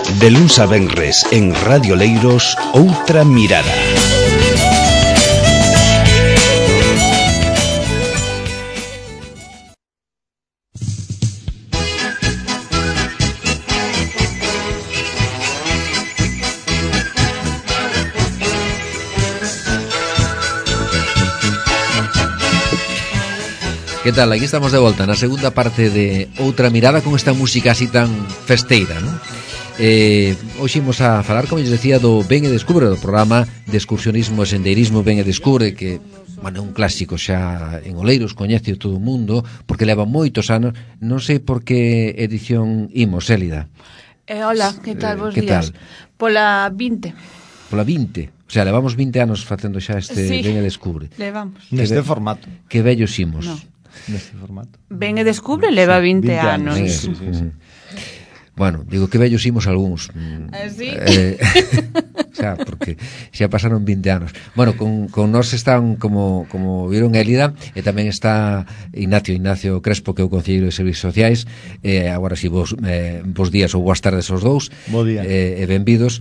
De luns a venres en Radio Leiros, Outra Mirada. Que tal? Aquí estamos de volta na segunda parte de Outra Mirada con esta música así tan festeira, non? Hoxe imos a falar, como eu decía, do Ven e Descubre, do programa de excursionismo e sendeirismo Ven e Descubre, que, bueno, é un clásico xa en Oleiros, coñece todo o mundo, porque leva moitos anos. Non sei por que edición imos, Élida. Hola, que tal, vos días? Tal? Pola 20. Pola 20. O sea, levamos 20 anos facendo xa este Sí, Ven e Descubre. Levamos. Neste formato. Que vellos imos. No. Neste formato. Ven e Descubre leva 20 anos. Sí. Bueno, digo que vellos imos algúns. ¿Sí? Xa, porque xa pasaron 20 anos. Bueno, con nós están, como viron, Élida, e tamén está Ignacio Crespo, que é o concelleiro de Servicios Sociais. Agora si bos días ou boas tardes aos dous. Bo día. E benvidos.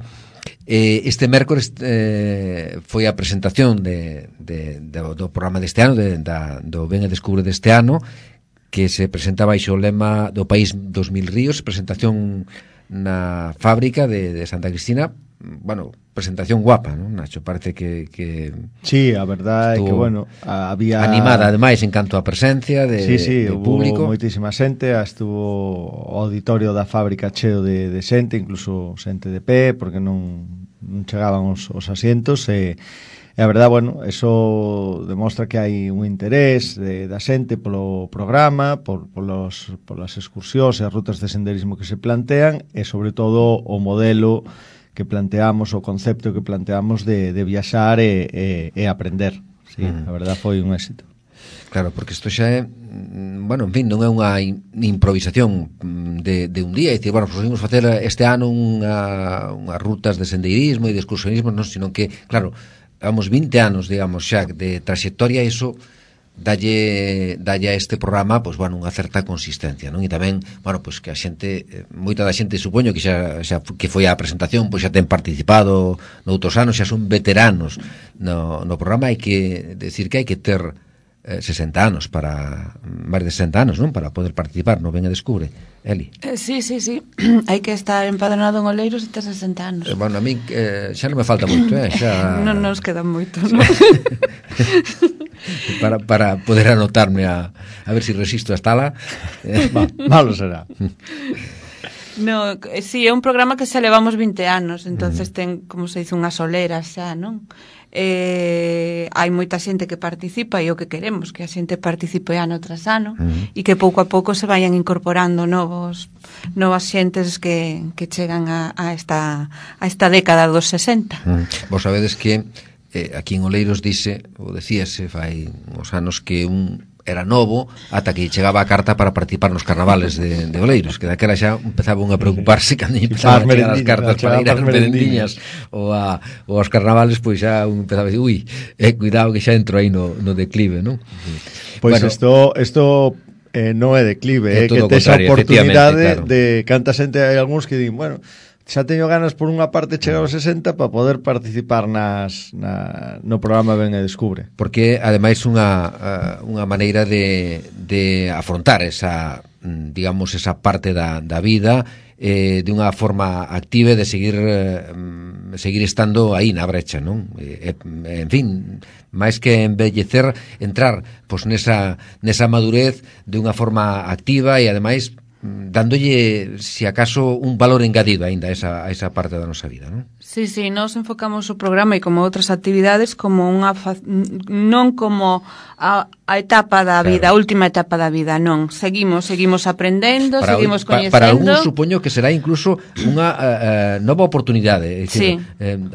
Este mércores foi a presentación do programa deste ano, do Ven e Descubre deste ano, que se presentaba baixo o lema do País 2000 ríos, presentación na fábrica de Santa Cristina. Bueno, presentación guapa, non, Nacho? Parece que sí, a verdade é que, bueno, había animada, ademais, en canto a presencia de público. Hubo moitísima xente, estuvo o auditorio da fábrica cheo de xente, incluso xente de pé, porque non chegaban os asientos, e a verdade, bueno, eso demostra que hai un interés da xente polo programa, polas excursións e as rutas de senderismo que se plantean, e sobre todo o modelo que planteamos, o concepto que planteamos de viaxar e aprender. Sí, a verdade foi un éxito. Claro, porque isto xa é, bueno, en fin, non é unha improvisación de un día, e dicir, bueno, pues imos facer este ano unhas rutas de sendeirismo e de excursionismo, non, sino que, claro, vamos 20 anos, digamos, xa de trayectoria, iso dalle a este programa, pois, bueno, unha certa consistencia, non? E tamén, bueno, pois que a xente, moita da xente, supoño que xa que foi a presentación, pois xa ten participado noutros anos, xa son veteranos no programa. Hai que decir que hai que ter 60 anos máis de 60 anos, non? Para poder participar no Ven e Descubre, Eli. Sí. Hai que estar empadronado en Oleiros e ter 60 anos. Bueno, a mí xa non me falta moito, xa non nos queda moito, non? para poder anotarme a ver se resisto a estala. Malo será. No, sí, é un programa que xa levamos 20 anos, entonces ten, como se dice, unha solera xa, non? Hai moita xente que participa, e o que queremos que a xente participe ano tras ano, e que pouco a pouco se vayan incorporando novas xentes que chegan a esta década dos 60. Vos sabedes que aquí en Oleiros decíase fai uns anos que era novo ata que chegaba a carta para participar nos carnavales de Oleiros, que daquela xa empezaban a preocuparse cando empezaban a chegar as cartas para ir ás merendiñas ou aos carnavales, pois xa empezaba a decir, cuidado que xa entro aí no declive, non? Pois bueno, isto non é declive, que tes a oportunidade, claro, de canta xente, hai algúns que din, bueno, xa teño ganas por unha parte chegar aos 60 para poder participar no programa Ven e Descubre. Porque ademais unha maneira de afrontar esa, digamos, esa parte da vida de unha forma activa, de seguir estando aí na brecha, non? En fin, máis que envellecer, entrar pois nesa madurez de unha forma activa e ademais dándolle, se acaso, un valor engadido aínda a esa parte da nosa vida, non? Sí, nós enfocamos o programa e como outras actividades como non como a etapa da vida, a última etapa da vida, non. Seguimos aprendendo, seguimos coñecendo. Para algún supoño que será incluso unha nova oportunidade, sí,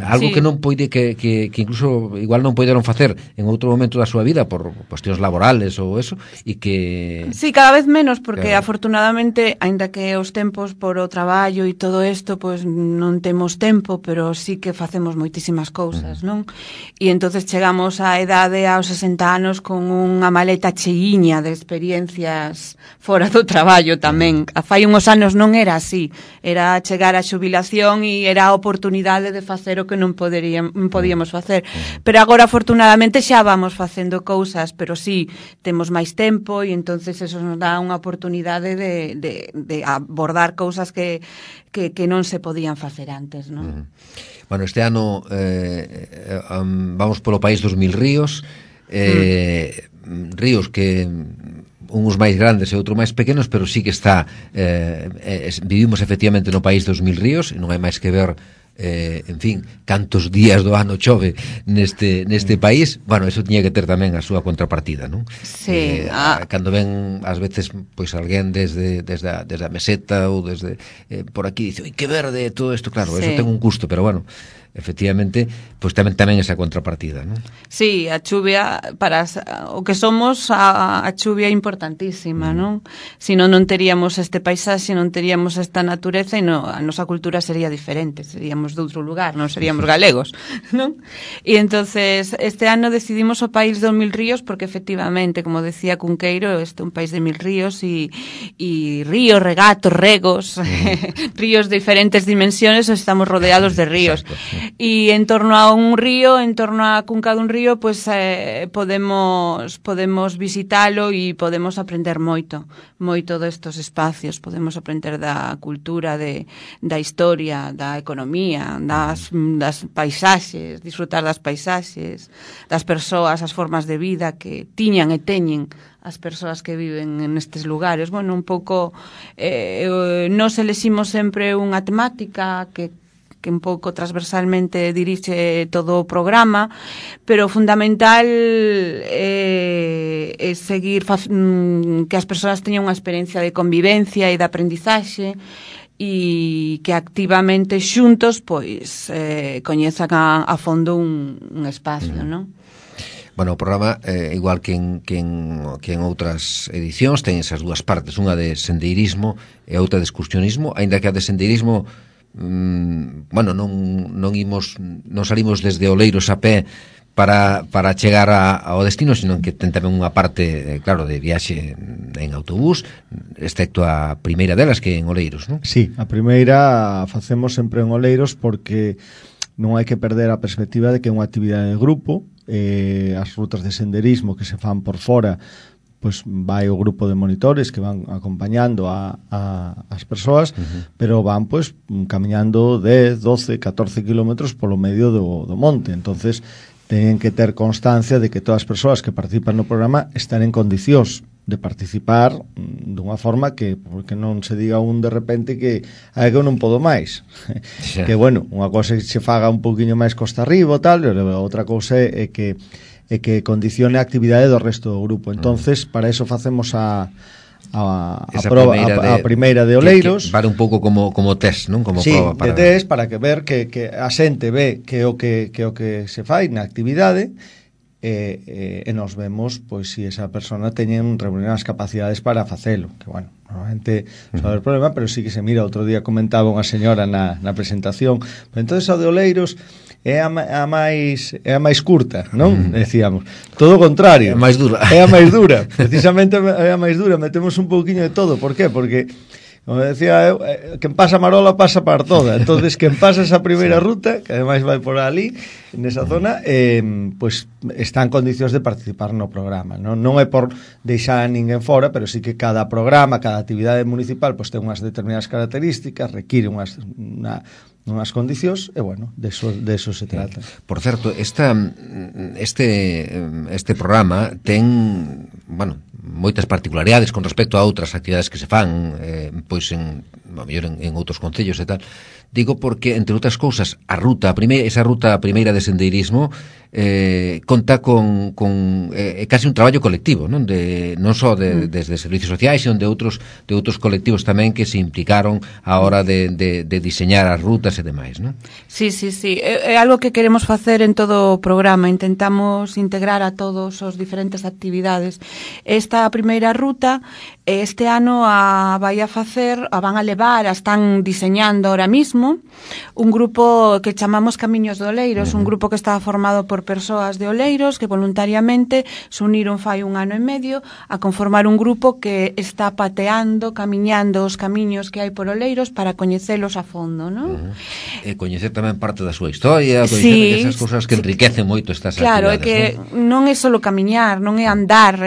algo que non poide que incluso igual non poideron facer en outro momento da súa vida por cuestións laborales ou eso, e que sí, cada vez menos, porque afortunadamente afortunadamente, aínda que os tempos por o traballo e todo isto, pois non temos tempo, pero sí que facemos moitísimas cousas, non? E entonces chegamos á idade aos 60 anos con unha maleta cheiña de experiencias fora do traballo tamén. Fai uns anos non era así, era chegar á xubilación e era a oportunidade de facer o que non podíamos facer. Pero agora, afortunadamente, xa vamos facendo cousas, pero sí, temos máis tempo e entonces eso nos dá unha oportunidade de abordar cousas que non se podían facer antes, non? Bueno, este ano vamos polo país dos 1000 ríos, ríos que uns máis grandes e outros máis pequenos, pero sí que está vivimos efectivamente no país dos 1000 ríos e non hai máis que ver en fin, cantos días do ano chove neste país. Bueno, eso tiña que ter tamén a súa contrapartida, non? Sí. Cando ven ás veces pois alguén desde a meseta ou desde por aquí dice, oi, que verde todo isto, claro, eso ten un custo, pero bueno, efectivamente, pois tamén esa contrapartida, non? Sí, a chuvia para o que somos, a chuvia é importantísima, non? Se non teríamos este paisaxe, non teríamos esta natureza e a nosa cultura sería diferente, seríamos de outro lugar, non seríamos galegos, non? E entonces este ano decidimos o país dos 1000 ríos porque efectivamente, como decía Cunqueiro, este é un país de 1000 ríos e ríos, regatos, regos, ríos de diferentes dimensiones, estamos rodeados de ríos. Exacto. E en torno a un río, en torno a cunca dun río, pues podemos visitalo e podemos aprender moito destos espacios, podemos aprender da cultura, da historia, da economía, das paisaxes, disfrutar das paisaxes, das persoas, as formas de vida que tiñan e teñen as persoas que viven nestes lugares. Bueno, un pouco nos eleximos sempre unha temática que un pouco transversalmente dirixe todo o programa, pero o fundamental é seguir que as persoas teñan unha experiencia de convivencia e de aprendizaxe e que activamente xuntos pois coñezan a fondo un espacio, non? Bueno, o programa, igual que en outras edicións, ten esas dúas partes, unha de sendeirismo e outra de excursionismo, aínda que a de sendeirismo bueno, non salimos desde Oleiros a pé para chegar ao destino, sino que ten tamén unha parte, claro, de viaxe en autobús, excepto a primeira delas, que é en Oleiros, non? Sí, a primeira facemos sempre en Oleiros porque non hai que perder a perspectiva de que é unha actividade de grupo. As rutas de senderismo que se fan por fora, pois vai o grupo de monitores que van acompañando as persoas, pero van pois camiñando 10, 12, 14 kilómetros polo medio do monte. Entonces teñen que ter constancia de que todas as persoas que participan no programa están en condicións de participar dunha forma que, porque non se diga un de repente que hai que eu non podo máis. Que bueno, unha cousa é que se faga un poquinho máis costa arriba ou tal, e outra cousa é que condicione a actividade do resto do grupo. Entonces, para eso facemos a primeira de Oleiros, que vale un pouco como test, non? Como sí, proba para de test, para que ver que a xente ve que o que se fai na actividade e nos vemos pois se esa persona teñen reunidas as capacidades para facelo, que bueno, normalmente sabe o problema, pero sí que se mira. Outro día comentaba unha señora na presentación, pero entonces o de Oleiros é a máis curta, non? Decíamos, todo o contrario, é a máis dura. É a máis dura, precisamente é a máis dura, metemos un pouquiño de todo. Por qué? Porque como decía eu, quen pasa Marola pasa par toda. Entonces, quen pasa esa primeira ruta, que ademais vai por ali, nesa zona, pois está en condicións de participar no programa. Non é por deixar a ninguén fora, pero sí que cada programa, cada actividade municipal, pois ten unhas determinadas características, require unhas condicións, e bueno, de eso se trata. Por certo, este programa ten, bueno, moitas particularidades con respecto a outras actividades que se fan pois a mellor en outros concellos e tal. Digo porque, entre outras cousas, esa ruta primeira de sendeirismo conta con casi un traballo colectivo, non só desde servicios sociais, sino de outros colectivos tamén que se implicaron a hora de diseñar as rutas e demais, non? Sí. É algo que queremos facer en todo o programa. Intentamos integrar a todos os diferentes actividades. Esta primeira ruta Este ano a van a levar, están diseñando ahora mismo un grupo que chamamos Camiños de Oleiros, un grupo que está formado por persoas de Oleiros que voluntariamente se uniron fai 1 ano e medio a conformar un grupo que está pateando, camiñando os camiños que hai por Oleiros para coñecelos a fondo, non? E coñecer tamén parte da súa historia, coñecer esas cousas que enriquecen moito estas claro, actividades. Claro, é que non é só camiñar, non é andar,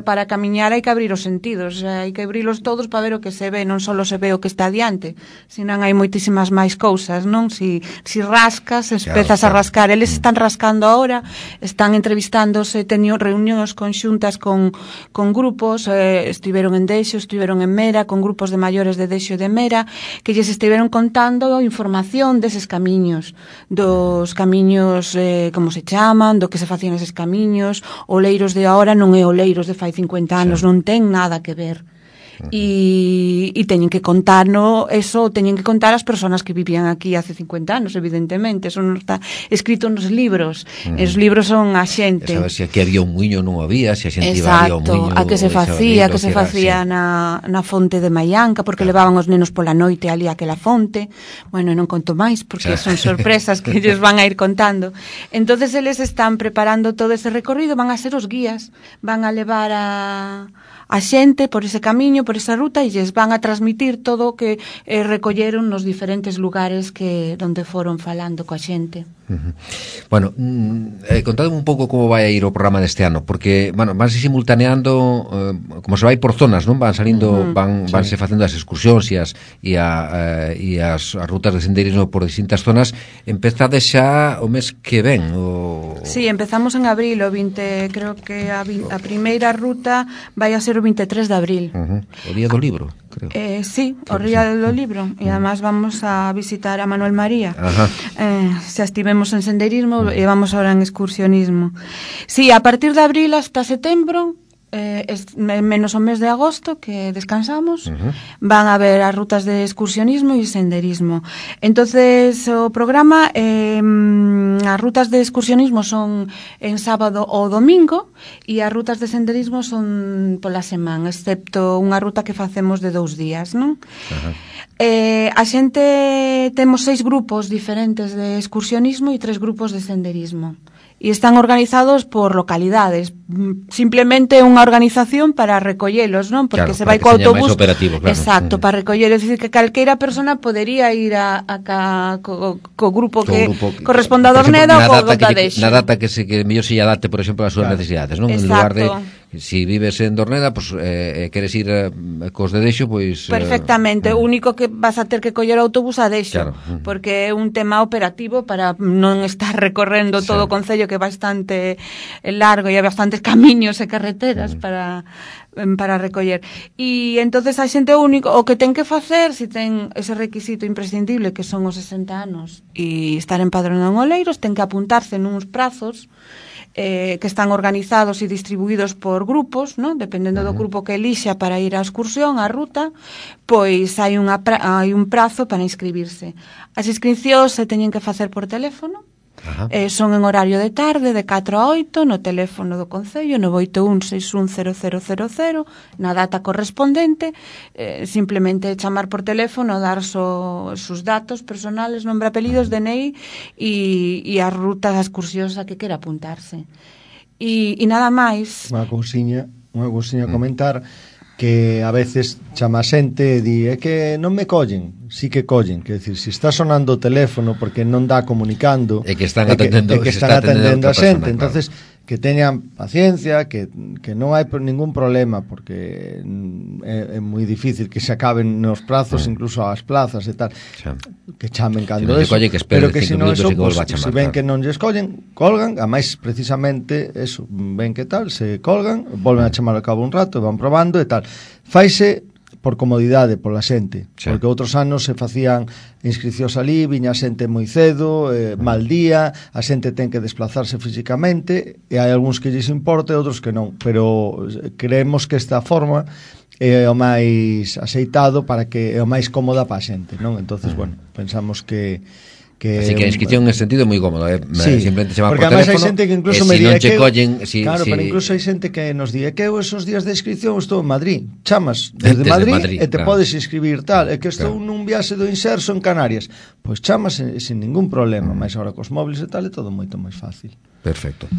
para camiñar hai que abrir os sentidos, hai que abrilos todos para ver o que se ve, non só se ve o que está diante, senón hai moitísimas máis cousas, non? Si rascas, empezas a rascar, eles están rascando ahora, están entrevistándose, teño reunións conxuntas con grupos, estiveron en Deixo, estiveron en Mera, con grupos de maiores de Deixo e de Mera, que lles estiveron contando información deses camiños, dos camiños, como se chaman, do que se facían eses camiños, Oleiros de ahora non é Oleiros de fai 50 anos, non ten nada que ver. E teñen que contar teñen que contar as persoas que vivían aquí hace 50 anos, evidentemente, eso non está escrito nos libros. Os libros son a xente. Sabes se aquí había un muiño, non había, se a xente iba ao muiño. A que se facía na fonte de Maianca, porque levaban os nenos pola noite ali aquela fonte. Bueno, non conto máis porque son sorpresas que ellos van a ir contando. Entonces eles están preparando todo ese recorrido, van a ser os guías, van a levar a xente por ese camiño, por esa ruta, e lles van a transmitir todo o que recolleron nos diferentes lugares donde foron falando coa xente. Bueno, contadme un pouco como vai a ir o programa deste ano, porque, bueno, vanse simultaneando, como se vai por zonas, non? Van salindo, vanse facendo as excursións e as rutas de sendeirismo por distintas zonas. Empezades xa o mes que ven? Sí, empezamos en abril, o 20, creo que a primeira ruta vai a ser o 23 de abril. O día do libro, creo. Sí, o día do libro, e además vamos a visitar a Manuel María. Xa estivemos en senderismo e vamos ahora en excursionismo. Sí, a partir de abril hasta setembro, menos o mes de agosto que descansamos, van a haber as rutas de excursionismo e senderismo. Entonces o programa, as rutas de excursionismo son en sábado ou domingo e as rutas de senderismo son pola semana, excepto unha ruta que facemos de 2 días, non? A xente temos 6 grupos diferentes de excursionismo e 3 grupos de senderismo. E están organizados por localidades. Simplemente unha organización para recollelos, non? Porque se vai co autobús. Claro. Exacto, para recollelos. É dicir, que calqueira persona podería ir co grupo que corresponde a Dorneda ou co da Deixo. Na data que mellor se lle adapte, por exemplo, as súas necesidades, non? En lugar de si vives en Dorneda, pues, queres ir cos de Deixo, pois... Perfectamente, o único que vas a ter que coller autobús a Deixo, porque é un tema operativo para non estar recorrendo todo o concello, que é bastante largo e hai bastantes camiños e carreteras para recoller. E entonces a xente único o que ten que facer, se ten ese requisito imprescindible que son os 60 anos e estar empadronado en Oleiros, ten que apuntarse nuns prazos que están organizados e distribuídos por grupos, ¿no? Dependendo do grupo que elixa para ir á excursión, á ruta, pois hai un prazo para inscribirse. As inscripcións se teñen que facer por teléfono. Son en horario de tarde, de 4 a 8, no teléfono do Concello, 981-610000, na data correspondente, simplemente chamar por teléfono, dar sus datos personales, nombre, apelidos, DNI e as rutas, as excursións a que quera apuntarse. E nada máis. Unha cousiña a comentar, que a veces chama xente e di, é que non me collen. Sí que collen, que decir, se está sonando o teléfono porque non dá comunicando, e que están atendendo a xente, entonces que teñan paciencia, que non hai ningún problema, porque é moi difícil que se acaben nos prazos, incluso ás plazas e tal, que chamen cando eso, pero que se non eso, se ven que non lles collen, colgan, a máis precisamente eso, ven que tal, se colgan, volven a chamar ao cabo un rato, van probando e tal, faise por comodidade pola xente, porque outros anos se facían inscricións ali, viña xente moi cedo, mal día, a xente ten que desplazarse físicamente, e hai algúns que lles importa e outros que non, pero creemos que esta forma é o máis aceitado para que é o máis cómoda para a xente, non? Entonces, bueno, pensamos que Así que a inscripción en ese sentido é moi cómoda, Sí, simplemente chamar porque por además hai teléfono, xente que incluso e me se non di che collen, claro, pero incluso hai xente que nos di que eu esos días de inscripción estou en Madrid, chamas desde Madrid e te podes inscribir tal, é que estou nun viaxe do Inserso en Canarias, pois chamas sin ningún problema, máis agora cos móviles e tal é todo moito máis fácil. Perfecto.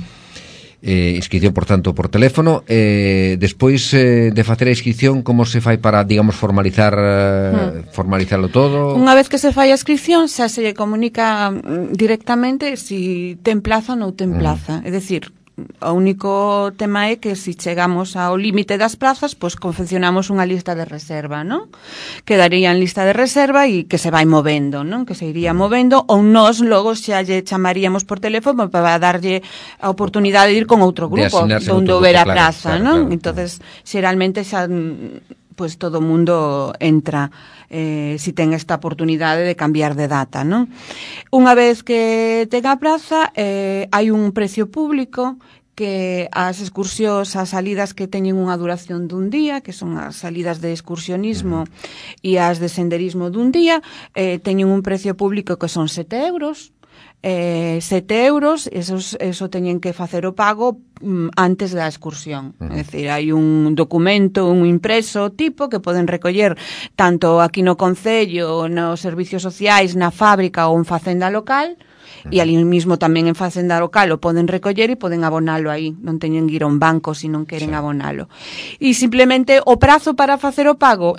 Inscripción, por tanto, por teléfono. Despois de facer a inscripción, como se fai para, digamos, formalizarlo todo? Unha vez que se fai a inscripción, xa se lle comunica directamente si ten plaza ou non ten plaza. É dicir, o único tema é que se chegamos ao límite das plazas, pois confeccionamos unha lista de reserva, non? Quedaría en lista de reserva e que se vai movendo, non? Que se iría movendo, ou nós logo xa lle chamaríamos por teléfono para darlle a oportunidade de ir con outro grupo, onde houber a plaza, non? Entonces, xeralmente xa pues todo o mundo entra si ten esta oportunidade de cambiar de data, non? Unha vez que ten a praza, hai un precio público que as excursións, as salidas que teñen unha duración dun día, que son as salidas de excursionismo e as de senderismo dun día, teñen un precio público que son 7 euros, 7 euros, eso teñen que facer o pago antes da excursión. É dicir, hai un documento, un impreso tipo que poden recoller tanto aquí no Concello, nos servicios sociais, na fábrica ou en facenda local, e ali mismo tamén en facenda local o poden recoller e poden abonalo aí, non teñen que ir a un banco se non queren abonalo. E simplemente o prazo para facer o pago,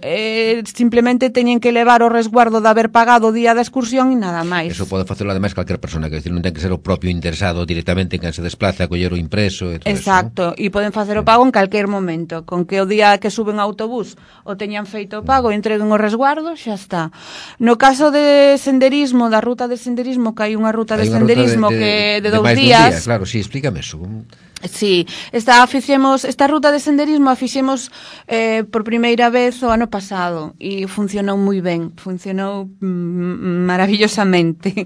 simplemente teñen que levar o resguardo de haber pagado o día da excursión e nada máis. Eso pode facelo ademais calquer persona, que decir, non ten que ser o propio interesado directamente en quen se desplaza a coller o impreso e todo. Exacto, eso, e poden facer o pago en calquer momento, con que o día que suben ao autobús o teñan feito o pago e entreguen o resguardo, xa está. No caso de senderismo, da ruta de senderismo, que hai unha ruta de senderismo que de 2 días. Claro, sí, explícame eso. Sí, esta ruta de senderismo a fixemos por primeira vez o ano pasado e funcionou moi ben, funcionou maravillosamente.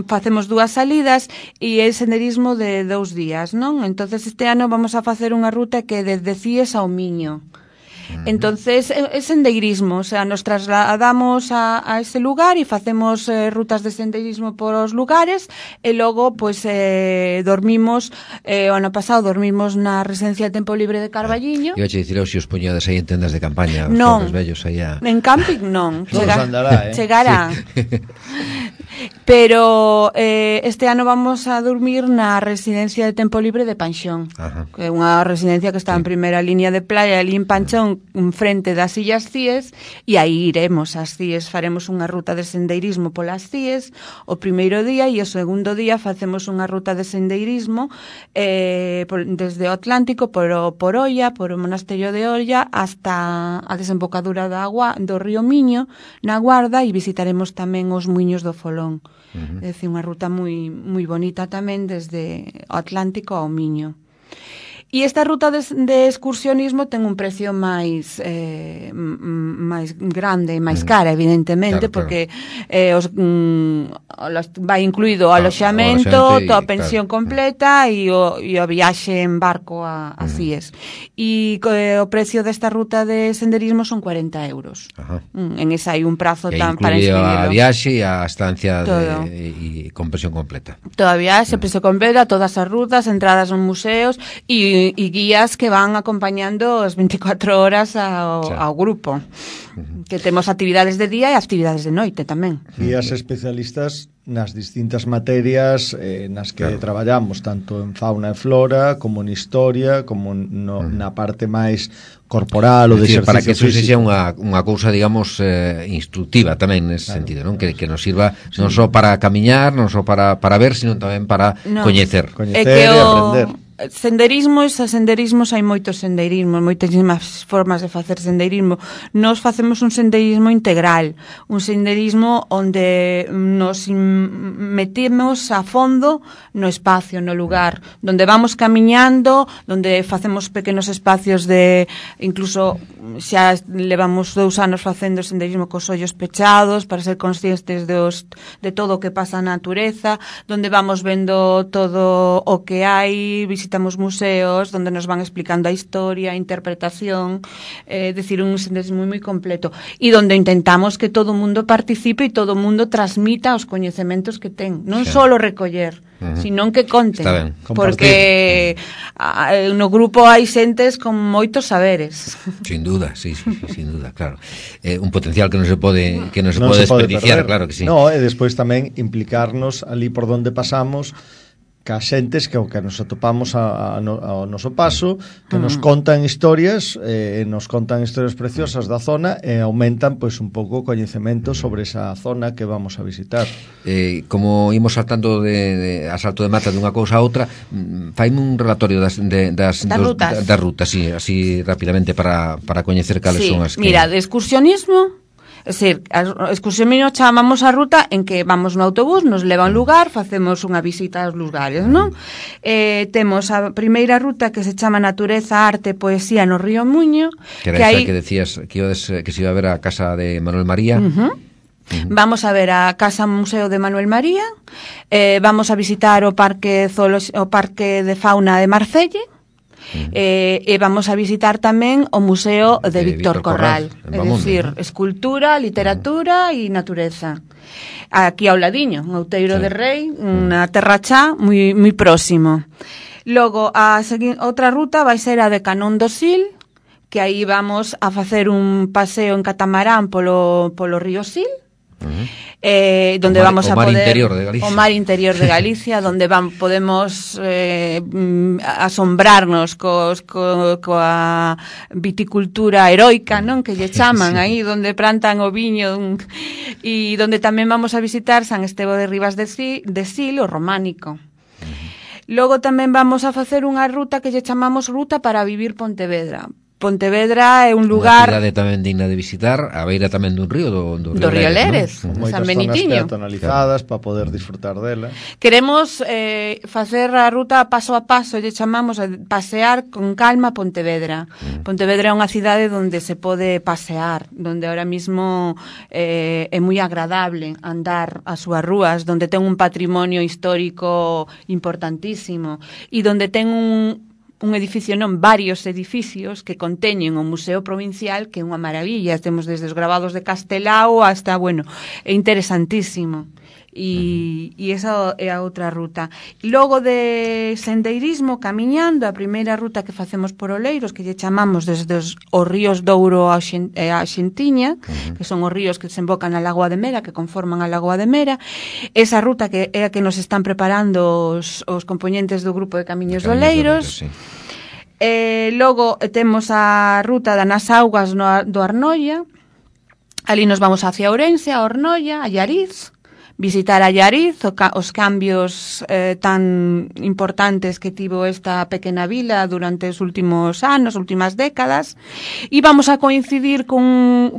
Facemos 2 salidas e é senderismo de 2 días, non? Entonces este ano vamos a facer unha ruta que desde Cíes ao Miño. Entonces é sendeirismo, o sea, nos trasladamos a ese lugar e facemos rutas de sendeirismo por os lugares e logo pois dormimos, o ano pasado dormimos na residencia de tempo libre de Carballiño. Iba a dicir, se os poñades aí en tendas de campaña, os non, vellos aí a... en camping non, chegará. Pero este ano vamos a dormir na residencia de tempo libre de Panxón. Ajá. Que é unha residencia que está en primeira línea de playa ali en Panxón, frente das Illas Cíes, e aí iremos ás Cíes, faremos unha ruta de sendeirismo polas Cíes o primeiro día e o segundo día facemos unha ruta de sendeirismo desde o Atlántico por Oia, por o Monasterio de Oia hasta a desembocadura da agua do río Miño na Guarda, e visitaremos tamén os muiños do Folón. É dicir, unha ruta moi moi bonita tamén desde o Atlántico ao Miño. E esta ruta de excursionismo ten un precio máis grande, máis cara, evidentemente, claro, porque vai incluído o aloxamento, toda a pensión completa e o viaxe en barco a Cíes. E o precio desta ruta de senderismo son 40 euros. En esa hai un prazo para inscribirlo. A viaxe e a estancia e con pensión completa. Toda a viaxe, pensión completa, todas as rutas, entradas aos museos e guías que van acompañando as 24 horas ao grupo. Que temos actividades de día e actividades de noite tamén. Guías especialistas nas distintas materias nas que traballamos, tanto en fauna e flora, como en historia, como na parte máis corporal ou de exercicio para que eso físico. Sexa unha cousa, digamos, instructiva tamén nese sentido, non? Que nos sirva non só para camiñar, non só para ver, sino tamén para coñecer. Coñecer e aprender. Senderismos hai moitos senderismos, moitísimas formas de facer senderismo. Nós facemos un senderismo integral, un senderismo onde nos metemos a fondo no espacio, no lugar, donde vamos camiñando, donde facemos pequenos espacios de, incluso xa levamos 2 anos facendo senderismo cos ollos pechados para ser conscientes de todo o que pasa na natureza, donde vamos vendo todo o que hai, visitamos visitamos museos donde nos van explicando a historia, a interpretación, decir, un senderismo moi completo, e donde intentamos que todo o mundo participe e todo o mundo transmita os coñecementos que ten, non só recoller, sino que conten, porque no grupo hai xentes con moitos saberes. Sin duda, sí, sin duda, claro. Un potencial que non se pode desperdiciar, claro que sí. No, e despois tamén implicarnos ali por donde pasamos ca xentes que nos atopamos ao noso paso, que nos contan historias preciosas da zona e aumentan pois un pouco o coñecemento sobre esa zona que vamos a visitar. Como imos saltando a salto de mata dunha cousa a outra, faime un relatorio das rutas, sí, así rapidamente para coñecer cales son as que... Mira, de excursionismo, é dicir, a excursionismo chamamos a ruta en que vamos no autobús, nos leva a un lugar, facemos unha visita aos lugares, non? Temos a primeira ruta que se chama Natureza, Arte, Poesía no Río Muño, que era esa que decías que se iba a ver a casa de Manuel María. Vamos a ver a Casa Museo de Manuel María, vamos a visitar o Parque de Fauna de Marcelle, e vamos a visitar tamén o Museo de Víctor Corral, é dicir, escultura, literatura e natureza. Aquí ao ladiño, en Outeiro de Rei, na Terra Chá, moi próximo. Logo, outra ruta vai ser a de Canón do Sil, que aí vamos a facer un paseo en catamarán polo río Sil, donde vamos a poder o mar interior de Galicia, donde podemos asombrarnos coa viticultura heroica, non, que lle chaman aí, donde plantan o viño, e donde tamén vamos a visitar San Estevo de Ribas de Sil, o románico. Logo tamén vamos a facer unha ruta que lle chamamos Ruta para Vivir Pontevedra. Pontevedra é un lugar... Unha cidade tamén digna de visitar, a beira tamén dun río, do río Leres, ¿no? San Benitiño. Moitas zonas peatonalizadas para poder disfrutar dela. Queremos facer a ruta paso a paso, lle chamamos a pasear con calma Pontevedra. Pontevedra é unha cidade onde se pode pasear, onde ahora mismo é moi agradable andar as súas rúas, onde ten un patrimonio histórico importantísimo e onde ten un edificio, varios edificios que conteñen o Museo Provincial, que é unha maravilla. Temos desde os gravados de Castelao hasta, é interesantísimo. E esa é a outra ruta. Logo de sendeirismo, camiñando, a primeira ruta que facemos por Oleiros, que lle chamamos desde os ríos Douro a Xentiña, que son os ríos que desembocan na Lagoa de Mera, que conforman a Lagoa de Mera. Esa ruta que é a que nos están preparando os componentes do grupo de Camiños de Oleiros. Logo temos a ruta das augas do Arnoia. Ali nos vamos hacia Ourense, a Ornoia, a Llariz, visitar a Llariz, os cambios tan importantes que tivo esta pequena vila durante os últimos anos, últimas décadas, e vamos a coincidir cun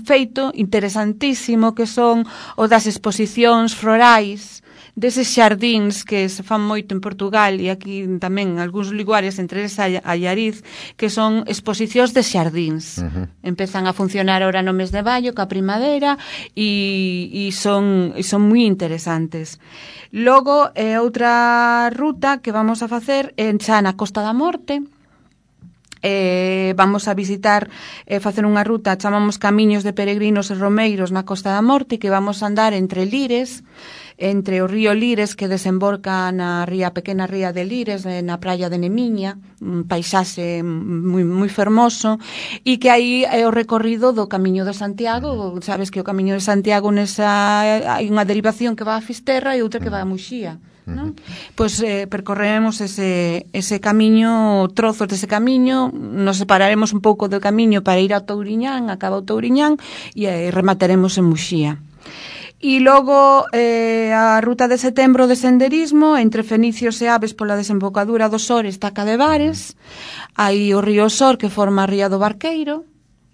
feito interesantísimo que son o das exposicións florais deses xardíns que se fan moito en Portugal e aquí tamén en algúns lugares, entre esa a Llariz, que son exposicións de xardíns. Empezan a funcionar ahora no mes de maio, ca primavera, e son moi interesantes. Logo, outra ruta que vamos a facer xa na Costa da Morte. Vamos a visitar, facer unha ruta, chamamos Camiños de Peregrinos e Romeiros na Costa da Morte, que vamos a andar entre Lires, entre o río Lires que desemboca na pequena ría de Lires, na praia de Nemiña, un paisaxe moi fermoso, e que aí é o recorrido do Camiño de Santiago. Sabes que o Camiño de Santiago hai unha derivación que va a Fisterra e outra que va a Muxía, non? Pois percorreremos ese camiño, trozos dese camiño, nos separaremos un pouco do camiño para ir a Touriñán, acaba o Touriñán, e remataremos en Muxía. E logo a ruta de setembro de senderismo entre Fenicios e Aves pola desembocadura do Sor, Estaca de Bares, hai o río Sor que forma a ría do Barqueiro,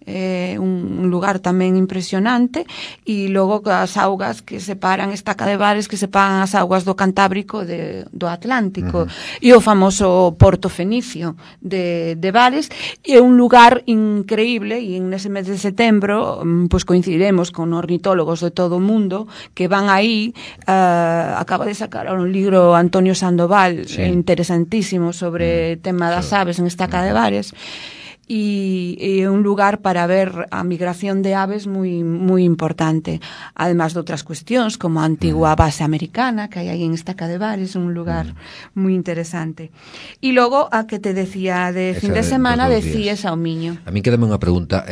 un lugar tamén impresionante, e logo as augas que separan Estaca de Bares, que separan as augas do Cantábrico do Atlántico, e o famoso Porto Fenicio de Bares. É un lugar increíble, e nese mes de setembro pois coincidiremos con ornitólogos de todo o mundo que van aí. Acaba de sacar un libro Antonio Sandoval, interesantísimo, sobre o tema das aves en Estaca de Bares, e é un lugar para ver a migración de aves moi importante, además de outras cuestións como a antigua base americana que hai aí en Estaca de Bares, un lugar moi interesante. E logo a que te decía de fin de semana decías ao Miño. A min quedame unha pregunta,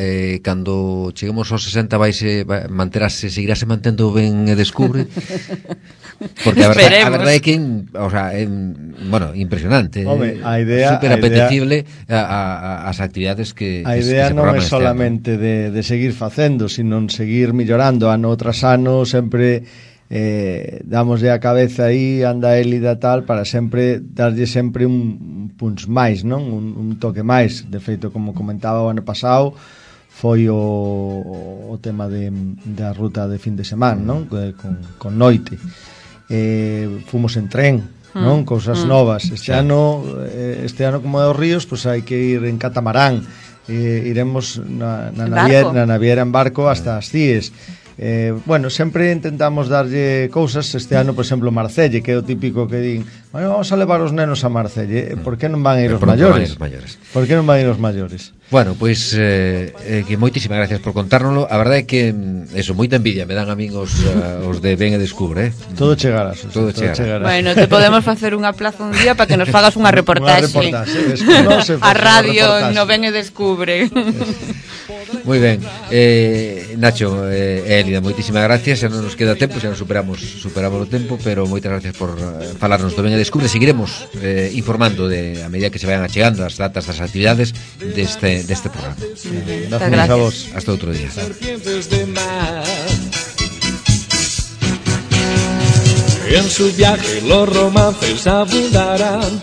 cando cheguemos aos 60 seguirase mantendo Ben e Descubre? Porque a verdade é que bueno, impresionante, a idea, super apetecible as actividades que a idea non é solamente de seguir facendo, sino seguir millorando ano tras ano, sempre damoslle a cabeza aí, anda élida tal, para sempre darlle sempre un punch máis, non? Un toque máis. De feito, como comentaba o ano pasado, foi o tema da ruta de fin de semana, non? Con noite. Fomos en tren, non? Cousas novas. Este ano como é os ríos, pois hai que ir en catamarán, iremos na naviera en barco hasta as Cíes. Bueno, sempre intentamos darlle cousas. Este ano, por exemplo, Marcelle, que é o típico que din, bueno, vamos a levar os nenos a Marcelle. Por que non van a ir os maiores? Por que non van a ir os maiores? Bueno, pois que moitísimas gracias por contárnoslo. A verdade é que eso, moita envidia me dan a min os de Ben e Descubre, Todo chegará. Todo chegará. Bueno, te podemos facer unha plaza un día para que nos fagas unha reportaxe. A radio no Ben e Descubre. Moi ben. Nacho, Elida, moitísimas gracias. Xa non nos queda tempo, xa nos superamos o tempo, pero moitas gracias por falarnos do Ben e Descubre. Seguiremos informando a medida que se vayan achegando as datas das actividades deste programa. Gracias a vos. Hasta outro día. En su viaje los romances abundarán.